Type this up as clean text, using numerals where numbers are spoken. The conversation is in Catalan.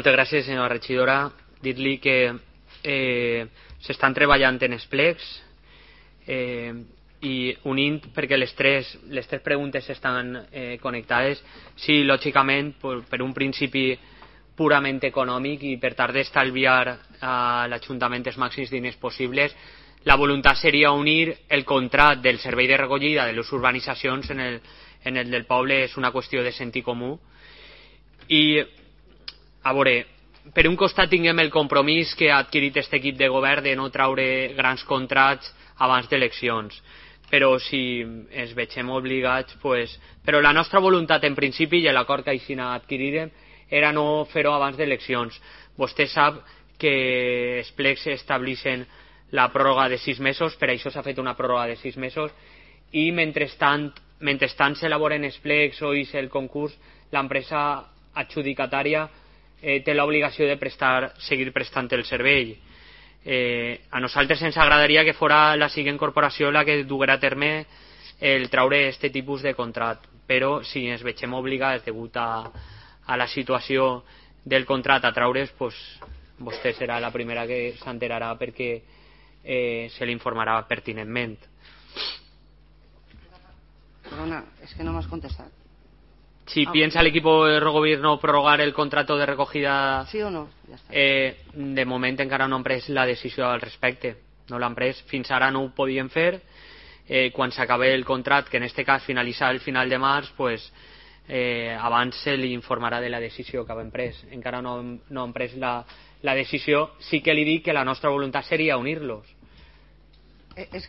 Moltes gràcies, senyora regidora. Dir-li que s'estan treballant en els plecs i unint, perquè les tres preguntes estan connectades. Sí, lògicament, per un principi purament econòmic i per tal d'estalviar a l'Ajuntament els màxims diners possibles, la voluntat seria unir el contracte del servei de recollida de les urbanitzacions en el del poble. És una qüestió de sentit comú. I a veure, per un costat tinguem el compromís que ha adquirit aquest equip de govern de no traure grans contrats abans d'eleccions, però si ens vegem obligats, però la nostra voluntat en principi i l'acord que així adquirirem era no fer-ho abans d'eleccions. Vostè sap que els plecs estableixen la pròrroga de 6 mesos, per això s'ha fet una pròrroga de 6 mesos, i mentrestant s'elaboren els plecs o és el concurs, l'empresa adjudicatària té l'obligació de seguir prestant el servei. A nosaltres ens agradaria que fora la següent corporació la que duguera a terme el traure aquest tipus de contracte, però si ens vegem obligats degut a la situació del contracte a traure's, vostè serà la primera que s'enterarà perquè se l'informarà pertinentment. Perdona, es que no m'has contestat. Si piensa el equipo de gobierno prorrogar el contrato de recogida, sí o no? Ja està. De moment encara no han pres la decisió al respecte. No l'han pres. Fins ara no ho podien fer. Quan s'acabe el contracte, que en aquest cas finalitza el final de març, abans se li informarà de la decisió que han pres. Encara no han pres la decisió. Sí que li dic que la nostra voluntat seria unir-los. És que